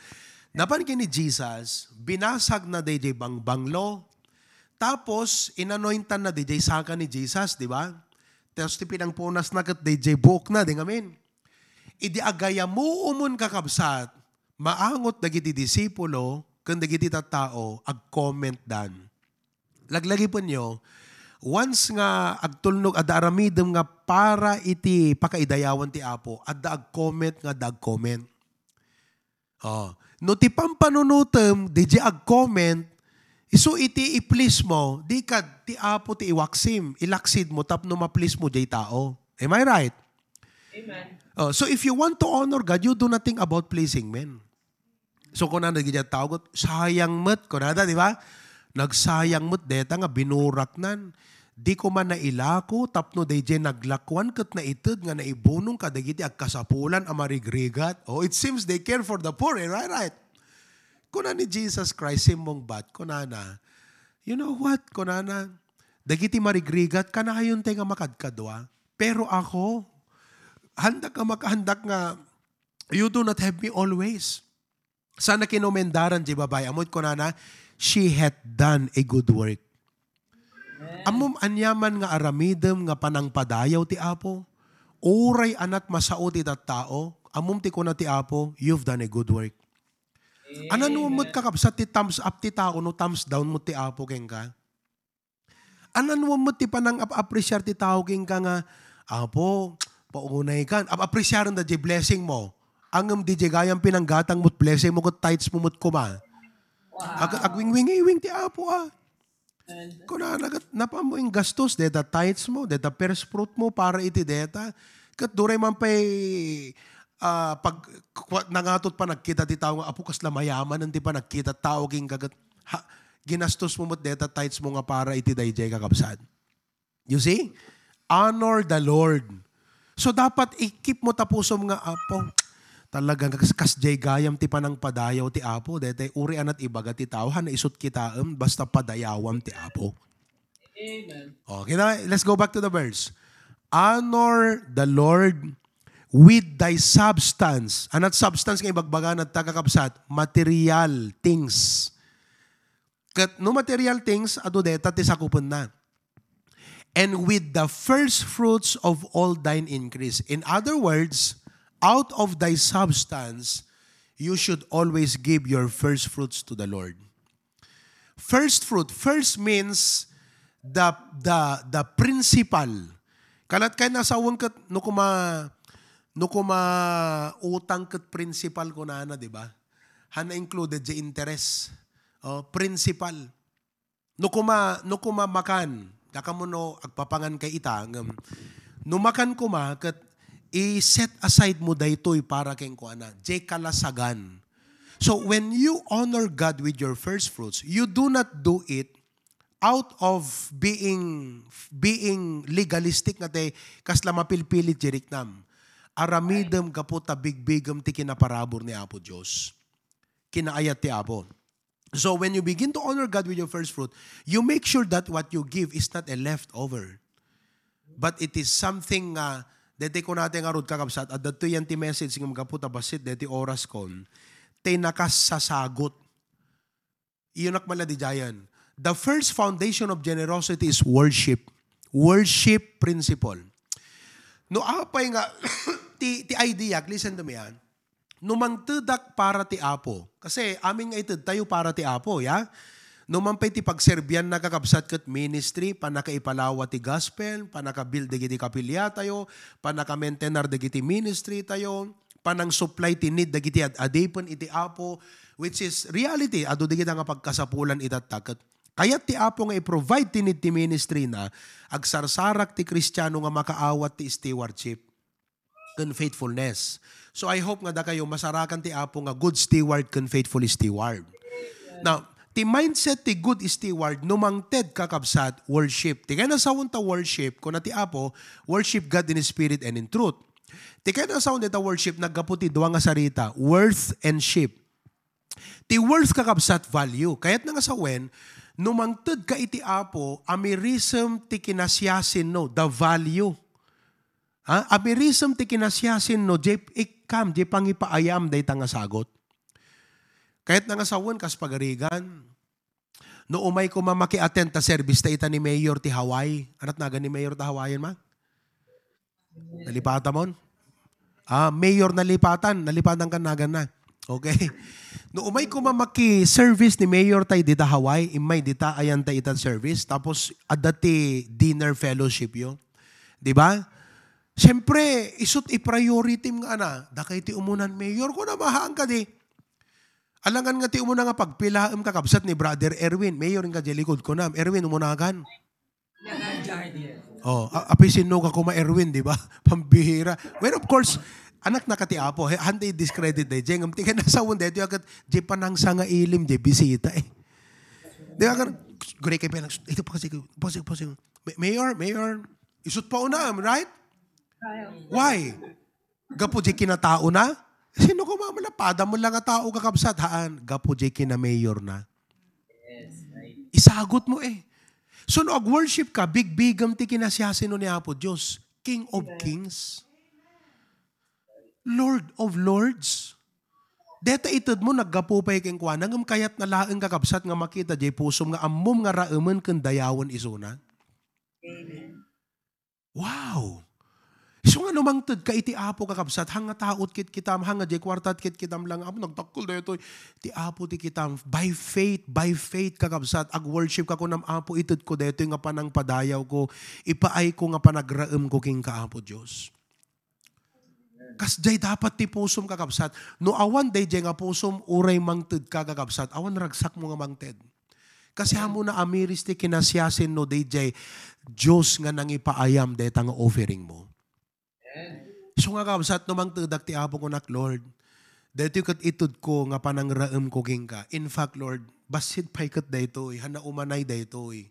Napan ken ni Jesus, binasag na D J Bangbanglo. Tapos, inanointan na D J saka ni Jesus, di ba? Tapos ti pinangpunas na ket D J buok na, di ngamin. Idi agayamuomon, kakabsat, maangot dagiti disipulo ken dagiti tattao, agcomment dan. Laglagipenyo, once nga agtulnog, adda aramidem nga para iti pakaidayawan ti Apo, adda agcomment nga adda agcomment. Oh, no ti pampanunotem, D J agcomment, isu iti i-please mo, di kad ti Apo ti iwaksim, ilaksid mo tapno ma-please mo jay tao. Am I right? Amen. Oh, so if you want to honor God, you do nothing about pleasing men. So, kunana dagiti tao ket, "Sayang met," kunada, di ba? "Nagsayang met deta nga binuraknan. Di koma nailako tapno daydiay naglakuan ket naited nga naibunong kadagiti agkasapulan a marigrigat. Oh, it seems they care for the poor, eh, right, right? Kuna ni Jesus Christ, simmungbat, kunana, "You know what?" kunana, "Dagiti marigrigat, kanayon tay nga makadkadua. Pero ako, handak nga maka-, handak nga you do not have me always." Sana kinumendaran di babai. Ammo kunana, "She hath done a good work." Ammom aniaman nga aramidem nga panangpadayaw ti Apo. Uray anat masao ti tattao, ammom ti kuna ti Apo, "You've done a good work." Anan mo met kakabsat ti thumbs up ti tao no thumbs down mo ti Apo kenka? Anan mo met ti panang-ap-appreciar ti tao kenka nga, "Apo, paunay kan." Ap-, appreciaren da di blessing mo. Angem di di gayam pinanggatang mo't blessing mo ket tithes mo met koma. Ag-, agwingwingiwing ti Apo, ah. Kunana ket, "Napan mo inggastos deta tithes mo, deta first fruit mo para iti deta." Ket duray man pay, ah, pag, kwa-, nangatot panagkita ti tao nga, "Apo, kasla mayamanen ti panagkita tao kenka ket ha, ginastos mo met deta tithes mo nga para iti daydiay," kakabsat. You see? Honor the Lord. So, dapat i-keep mo ta pusom nga, "Apo, talaga kas, kasdiay gayam ti panangpadayaw ti Apo. Daytay uray anat ibaga ti tao, han naisut kitaem, basta padayawam ti Apo." Amen. Okay na, let's go back to the verse. "Honor the Lord with thy substance." Anat substance nga ibagbagana ta, kakabsat? Material things. Ket no material things, adu deta ti sakupenna. "And with the first fruits of all thine increase." In other words, out of thy substance, you should always give your first fruits to the Lord. First fruit, first means the, the, the principal. Kalat kay nasawen ket no kuma, no kuma utang ket principal kunana, di ba? Han na included di interest. Oh, principal. No kuma, no kuma makan, dakamono agpapangan kay ita, ngem no makan kuma, ket i-set aside mo daytoy para kenkuana, jay kalasagan. So, when you honor God with your first fruits, you do not do it out of being, being legalistic nga tay kasla mapilpilit jay riknam. Aramidem gapu ta bigbigem ti kinaparabur ni Apo Dios. Kinaayat ti Apo. So when you begin to honor God with your first fruit, you make sure that what you give is not a leftover. But it is something nga, daytoy kunatay ngarud, kakabsat, adda to yan ti message nga gapu ta bassit daytoy oraskon, tay nakasasagut. Iyonak man la didiayen. The first foundation of generosity is worship. Worship principle. No apay nga, ti, ti idea, listen to me, ah. No mangtedak para ti Apo, kasi amin nga itedtayo para ti Apo, ya? No man pay ti pagserbianna, kakabsat, ket ministry, pannakaipalawa ti gospel, pannakabuild dagiti kapiliatayo, pannakamaintenar dagiti ministry tayo, panangsupply ti need dagiti ad-adipen iti Apo, which is reality, adu dagita nga pagkasapulan itatta. Ket kayat ti Apo nga i-provide ti need ti ministry na, agsarsarak ti Kristiano nga makaawat ti stewardship ken faithfulness. So, I hope nga dakayo masarakan ti Apo nga good steward ken faithful steward. Now, ti mindset ti good steward, no mangted, kakabsat, worship. Ti kayat nga sawen ta worship, kuna ti Apo, "Worship God in spirit and in truth." Ti kayat nga sawen dayta worship, naggapu ti dua nga sarita, worth and ship. Ti worth, kakabsat, value. Kayat nga sawen, no mangted ka iti Apo, amirisem ti kinasiasinno, the value. Ha? Amirisem ti kinasiasinno, jay ikkam, jay pangipaayam dayta nga sagut. Kayat nga sawen, kas pagarigan, no umay koma maki-attend ta service ta ita ni Mayor ti Hawaii. Anat nagan ni Mayor ta Hawaiian, ma? Nalipatan mon? Ah, Mayor Nalipatan. Nalipatan kan nagan na. Okay. No umay koma maki-service ni Mayor tay dita Hawaii, immay dita ayan tay ita service, tapos adda ti dinner fellowship yo. Di ba? Siyempre, isut i-priority nga ana, dakay ti umunan, Mayor, kuna mahaan kadi. Alangan nga ti umuna nga pagpilaem, kakabsat, ni Brother Erwin. Mayor, inka jay likud kunam. Erwin, umunakan. Oh, a-, apay sinno ka kuma, Erwin, di ba? Pambihira. Well, of course, anak na ka ti Apo. He, handa i-discredit daydiay. Ngem ti kayat nga sawen daytoy ket jay panangsangailem, jay bisita, eh. Di ba? Kan, gure kay penang, ito pa kasi, pa kasi, pa kasi. Ma-, mayor, mayor, isut pa unam, right? Why? Gapu di kinataona? Sino ko mamalapada mo lang nga tao, kakabsat? Haan, gapu di kina-mayor na. Isagot mo eh. So, no ag-worship ka, bigbigam ti kinasiasino ni Apo Dios, King of Kings, Lord of Lords. Deta ited mo, naggapu pay kenkuana, ngem kayat na laeng, kakabsat, nga makita jay pusom nga ammom nga raemen ken dayawen isuna. Wow! Isu nga no mangted ka iti Apo, kakabsat, hanga taot kitkitam, hanga jay kuartat kitkitam lang, Apo, nagdakkel daytoy. Ti Apo ti kitam, by faith, by faith, kakabsat, ag-worship ka, kunam, Apo, ited ko daytoy nga panangpadayaw ko, ipaay ko nga panagraem ko kenka, Apo Dios. Kasjay dapat ti pusom, kakabsat. No awan dayjay nga pusom, uray mangted ka, kakabsat, awan ragsak mo nga mangted. Kasi amo na amiris ti kinasiasin no dayjay Dios nga nangipaayam dayta nga offering mo. So nga, kabsat, no mangtedak ti Apo, kunak, Lord, daytoy ket ited ko nga panangraem ko kenka. In fact, Lord, bassit pay ket daytoy, hana umanay daytoy.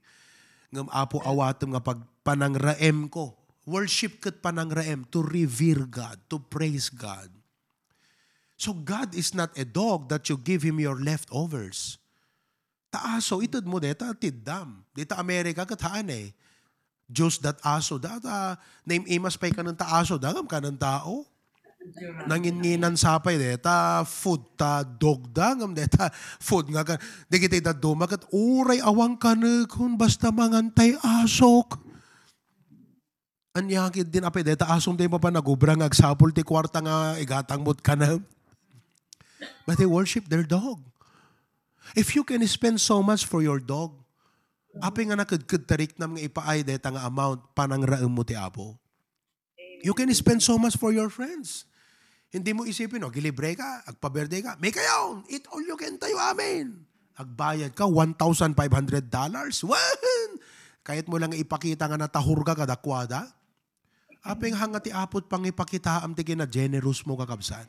Ngem, Apo, awatem nga pag-, panangraem ko. Worship ket panangraem, to revere God, to praise God. So God is not a dog that you give him your leftovers. Ta aso, ited mo deta, tiddam. Dita Amerika, ket haan eh. Diyos dat aso, data, naim-imas pay kanen ta aso, dagam kanen tao. Nanginnginan sapay deta, food ta dog da, ngam deta, food nga ka, di kita ita dumaket, uray awang kanekon, basta mangantay asok. Ania ket din apay deta asom ti mapan nagubra nga agsapul ti kuarta nga igatang mo't kanam. But they worship their dog. If you can spend so much for your dog, apay nga nakedked ta riknam nga ipaay deta nga amount panangraem mo ti Apo? You can spend so much for your friends. Hindi mo isipin, oh, gilibre ka, agpa-birthday ka, may kayo, eat all you can tayo, amen. Agbayad ka, one thousand five hundred dollars. Wan! Kayat mo lang ipakita nga natahur ka kadakwada. Apay nga hanga ti Apo pangipakitaam ti kinagenerous mo, kakabsat.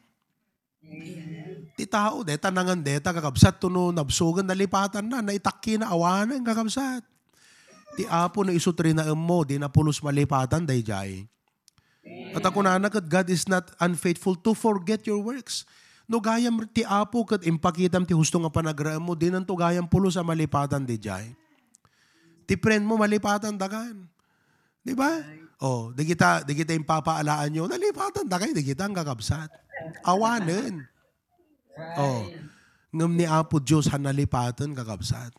Ti tao, deta nangan deta, kakabsat, tuno nabsugan, nalipatan na, naitakki na, awanen, kakabsat. Ti Apo no isu ti rinaem mo, di na pulos malipatan, dayjay. At ako nana ket God is not unfaithful to forget your works. No gayam ti Apo ket impakitam ti husto nga panagraem mo, dinan to gayam pulos a malipatan, dayjay. Ti friend mo, malipatan dakan. Di ba? Oh, di kita, di kita impapaalaan yo, nalipatan da kayo, di kita ang kakabsat. Awanen. Oh, ngem ni Apo Dios han nalipatan, kakabsat.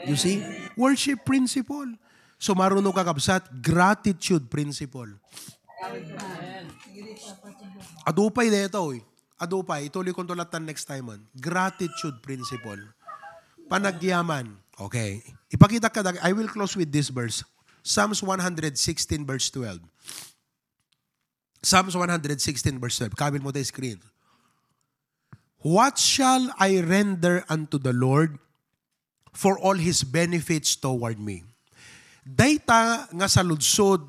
You see? Worship principle. So, maruno, kakabsat, gratitude principle. Adupay detoy. Adupay, ituloy ko to latta next time, man. Gratitude principle. Panagyaman. Okay. Ipakita ka, I will close with this verse. Psalms one hundred sixteen verse twelve. Psalms one hundred sixteen verse twelve. Kabil mo tayo screen. "What shall I render unto the Lord for all his benefits toward me?" Dayta nga saludsod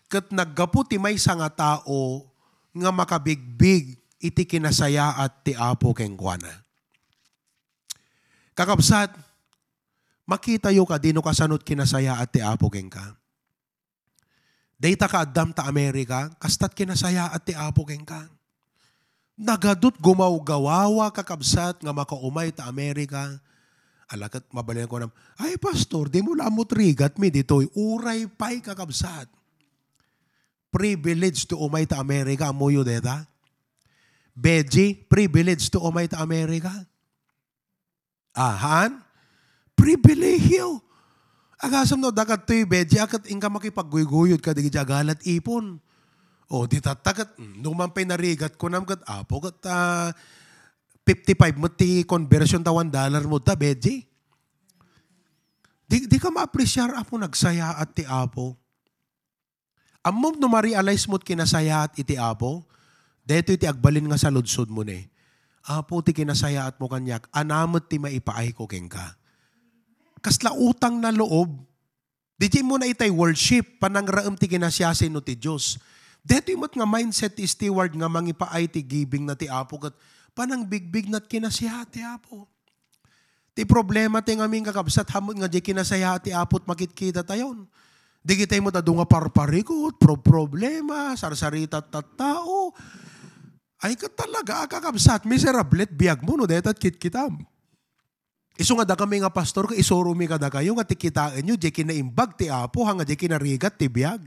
ket naggapu ti maysa nga tao nga makabigbig iti kinasayaat ti Apo kenkuana. Kakabsat, makitayo kadi no kasano't kinasayaat ti Apo kenka? Dayta kaaddam ta Amerika, kastat kinasayaat ti Apo kenka. Nagadut gumawgawawa, kakabsat, nga makaumay ta Amerika. Ala ket mabalin ko nam, "Ay, pastor, di mo lamot rigat mi ditoy. Uray pay, kakabsat." Privilege to umay ta Amerika, ammoyo deta? Beji, privilege to umay ta Amerika. Ahan? Pribilehiyo. Agasam no, dakat to'y Beji, akat inka makipagguygoyod ka, di agala ti ipon. O, di tatta ket, mm, no man pay narigat ko nam ket, Apo, ket, ah, fifty-five met ti conversion ta one dollar mo ta, Beji. Di, di ka maapresiar, Apo, nagsayaat ti Apo. Ammom no ma-realize mo't kinasayaat iti Apo, daytoy ti agbalin nga saludsod mo ne. Apo, ti kinasayaat mo kaniak, ania met ti maipaay ko kenka? Kasla utang na loob. Di mo na itay worship, panangraem ti kinasiasino ti Dios. Daytoy met nga mindset ti steward nga mangipaay ti giving na ti Apo ket panangbigbig na ti kinasiyaat ti Apo. Ti problema ti ngamin, kakabsat, hamut nga di kinasayaat ti Apo ti makitkita tayon. Digitay met adu nga parparikut, pro-, problema, sarsarita tattao. Ay, ket talaga, kakabsat, miserable ti biagmo no dayta ti kitkitam. Isu nga dakami nga pastor, ket isuromi kadakayo nga ti kitaenyo, diay kinaimbag ti Apo, haan nga diay kinarigat ti biag.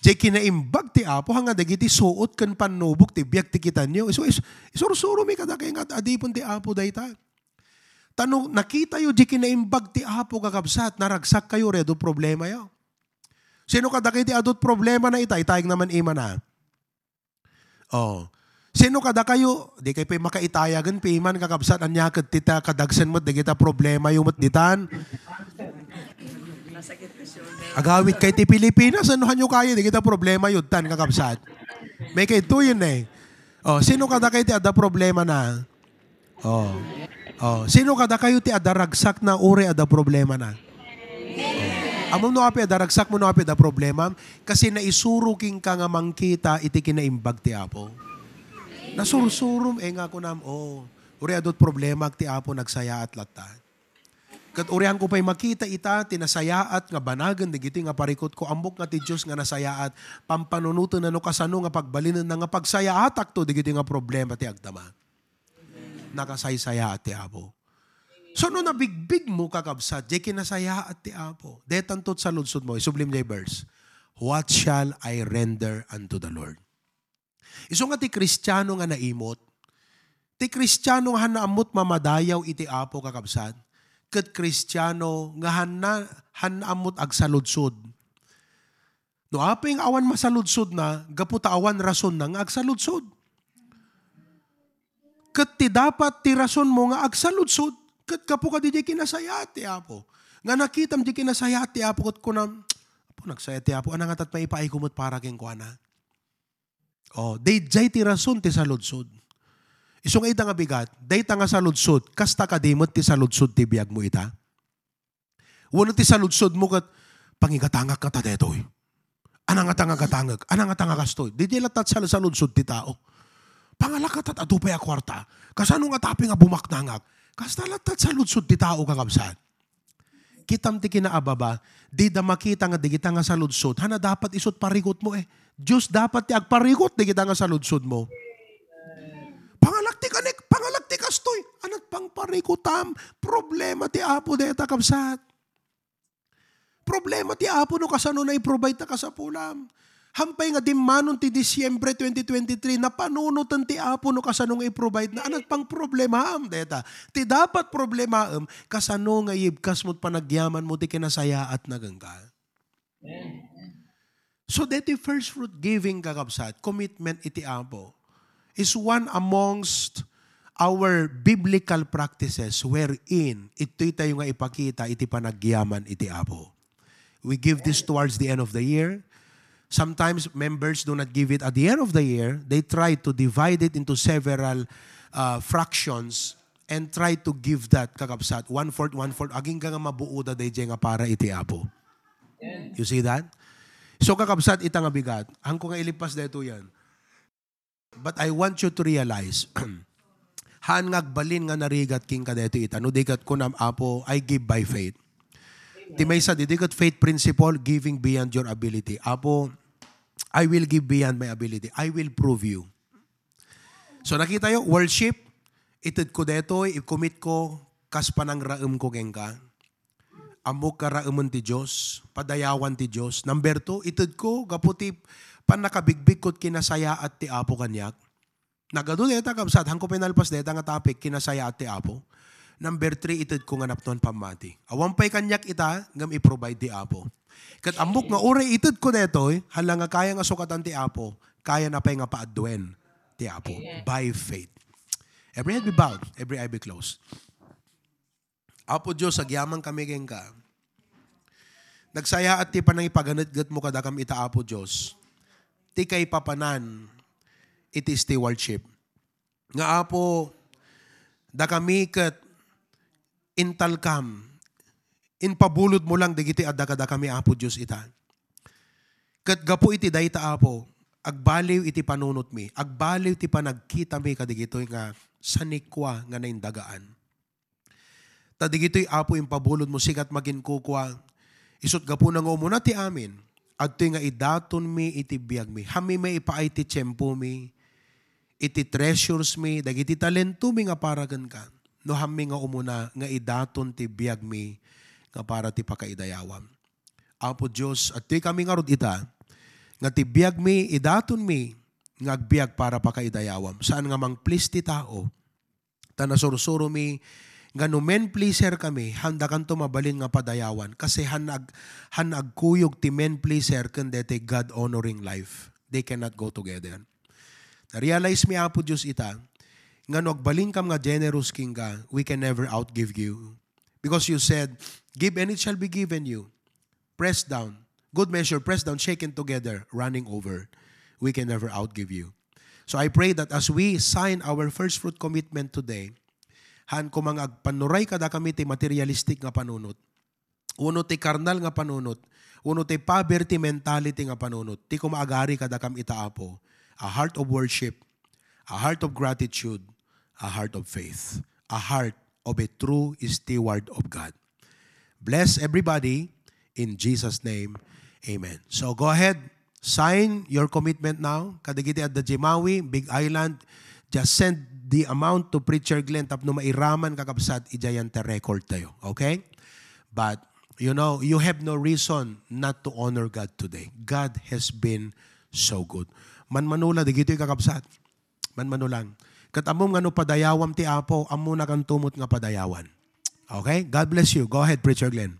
Diay kinaimbag ti Apo, haan nga dagiti suot ken pannubok ti biag ti kitanyo. Isu-, is-, isursuromi kadakayo nga adipen ti Apo dayta. Ta no nakitayo diay kinaimbag ti Apo, kakabsat, naragsakkayo, uray adu problemayo. Sino kadakayo ti adu ti problemana ita? Itayag naman imana. Oh. Sino kadakayo? Di kayo pay makaitayagen, piman, kakabsat, ania ket ti ta kadagsen met dagita problemayo met ditan. Agawid kay ti Pilipinas, ano hanyo kayo dagita problemayo ditan, kakabsat? May kay tuyen eh. Oh, sino kadakayo ti adda problemana? Oh. Oh, sino kadakayo ti adda ragsakna uray adda problemana? Oh. Ammom no apay adda ragsakmo, no apay adda problemam? Kasi naisuro kenka nga mangkita iti kinaimbag ti Apo. Nasursurom, eh, nga kunam, oh, uray adu ti problema ti Apo, nagsayaat latta. Ket urianko pay makita ita ti nasayaat nga banagen dagiti nga parikutko, ammok nga ti Dios nga nasayaat, pampanunotenna no kasano nga pagbalinenna nga pagsayaatakto dagiti nga problema ti agdama. Nakasaysayaat ti Apo. So, no nabigbigmo, kakabsat, diay kinasayaat ti Apo. Detanto ti saludsodmo, isublim diay verse, "What shall I render unto the Lord?" Isu nga ti Kristiano nga naimot, ti Kristiano nga haan ammot mamadayaw iti Apo, kakabsat, ket Kristiano nga haan, haan ammot agsaludsod. No apay nga awan masaludsodna, gapu ta awan rasonna nga agsaludsod. Ket ti dapat ti rasonmo nga agsaludsod, ket gapu kadi diay kinasayaat ti Apo. Nga nakitam diay kinasayaat ti Apo, ket kunam, "Apo, nagsaya ti Apo, ania ngata ti maipaayko met para kenkuana?" Oh, daydiay ti rason ti saludsod. Isu nga ita nga bigat, dayta nga saludsod, kasta kadi met ti saludsod ti biagmo ita? Wenno ti saludsodmo ket, "Pangigatangak ngata daytoy? Ania ngata nga gatangek? Ania ngata nga kastoy?" Daydiay latta ti sal-, saludsod ti tao. "Pangalak ngata ta adu pay a kuarta? Kasano ngata apay nga bumaknangak?" Kasta latta ti saludsod ti tao, kakabsat. Kitam ti kinaababa, dida makita nga dagita nga saludsod, haan a dapat isu ti parikutmo eh. Dios dapat ti agparikut dagita nga saludsodmo. "Pangalak ti kanek, pangalak ti kastoy." Ania ti pangparikutam? Problema ti Apo dayta, kabsat. Problema ti Apo no kasano na i-provide ta kasapulam. Haan pay nga dimmanon ti Disyembre twenty twenty-three, napanunoten ti Apo no kasano nga i-provide na. Ania ti pangproblemaam dayta? Ti dapat problemaem, kasano nga iyibkasmo ti panagyamanmo ti kinasayaatna kenka. So, daytoy first fruit giving, kakabsat, commitment iti Apo, is one amongst our biblical practices wherein itoy tayo nga ipakita iti panagyaman iti Apo. We give this towards the end of the year. Sometimes members do not give it at the end of the year. They try to divide it into several, uh, fractions and try to give that, kakabsat, one-fourth, one-fourth. Agingga nga mabuoda daydiay nga para iti Apo. You see that? So, kakabsat, ita nga bigat. Haanko nga ilipas daytoy yan. But I want you to realize, haan nga agbalin nga narigat kenka daytoy ita. No di ket kunam, "Apo, I give by faith." Ti maysa, didi ket faith principle, giving beyond your ability. "Apo, I will give beyond my ability. I will prove you." So, nakitayo, worship, itedko daytoy, i-commit ko kas panangraemko kenka. Ammok nga raemen ti Dios, padayawan ti Dios. Number two, itedko gapu ti pannakabigbigko ti kinasayaat ti Apo kaniak. Nagadu dayta, kabsat, haanko pay nalpas dayta nga topic, kinasayaat ti Apo. Number three, itedko nga napnoan pammati. Awan pay kaniak ita, ngem i-provide ti Apo. Ket ammok nga uray itedko daytoy, hala nga kaya nga sukatan ti Apo, kayana pay nga paaduen ti Apo. Amen. By faith. Every head be bowed, every eye be closed. Apo Dios, agyamankami kenka. Nagsayaat ti panangipaganetgetmo kadakami ita, Apo Dios, ti kaipapanan iti stewardship. Nga, Apo, dakami ket intalkam, impabulodmo lang dagiti adda kadakami, Apo Dios, ita. Ket gapu iti dayta, Apo, agbaliw iti panunotmi, agbaliw ti panagkitami kadagitoy nga sanikua nga naindagaan. Ta digitoy, Apo, impabulodmo, sika ti makinkukua, Isut' gapuna nga umuna ti amin, adtoy nga idatonmi iti biagmi. Hammi maipaay ti tiempomi, iti treasures mi, dagiti talentomi nga para kenka. No hammi nga umuna nga idaton ti biagmi nga para ti pakaidayawam. Apo Dios, adtoy kami ngarud ita, nga ti biagmi, idatonmi nga agbiag para pakaidayawam. Saan nga mang-please ti tao, ta nasursuromi nga no men pleaser kami, handakanto mabalin nga padayawan. Kasi han ag-, han agkuyog ti men pleaser ken deti God-honoring life. They cannot go together. Na-realize mi, Apo Dios, ita, nga no agbalinkam nga generous kenka, we can never outgive you. Because you said, "Give and it shall be given you. Pressed down, good measure, pressed down, shaken together, running over. We can never outgive you." So I pray that as we sign our first fruit commitment today, han koma nga agpannuray kadakami ti materialistic nga panunot, wenno ti karnal nga panunot, wenno ti poverty mentality nga panunot, ti koma agari kadakam ita, Apo, a heart of worship, a heart of gratitude, a heart of faith, a heart of a true steward of God. Bless everybody in Jesus' name. Amen. So go ahead, sign your commitment now. Kadagiti adda Jimawi, Big Island, just send the amount to Preacher Glenn tapno mairaman, kakabsat, idiay ti record tayo. Okay? But, you know, you have no reason not to honor God today. God has been so good. Manmanula, dagitoy, kakabsat. Manmanulang. Ket ammom nga no padayawam ti Apo, ammonakanto met nga padayawan. Okay? God bless you. Go ahead, Preacher Glenn.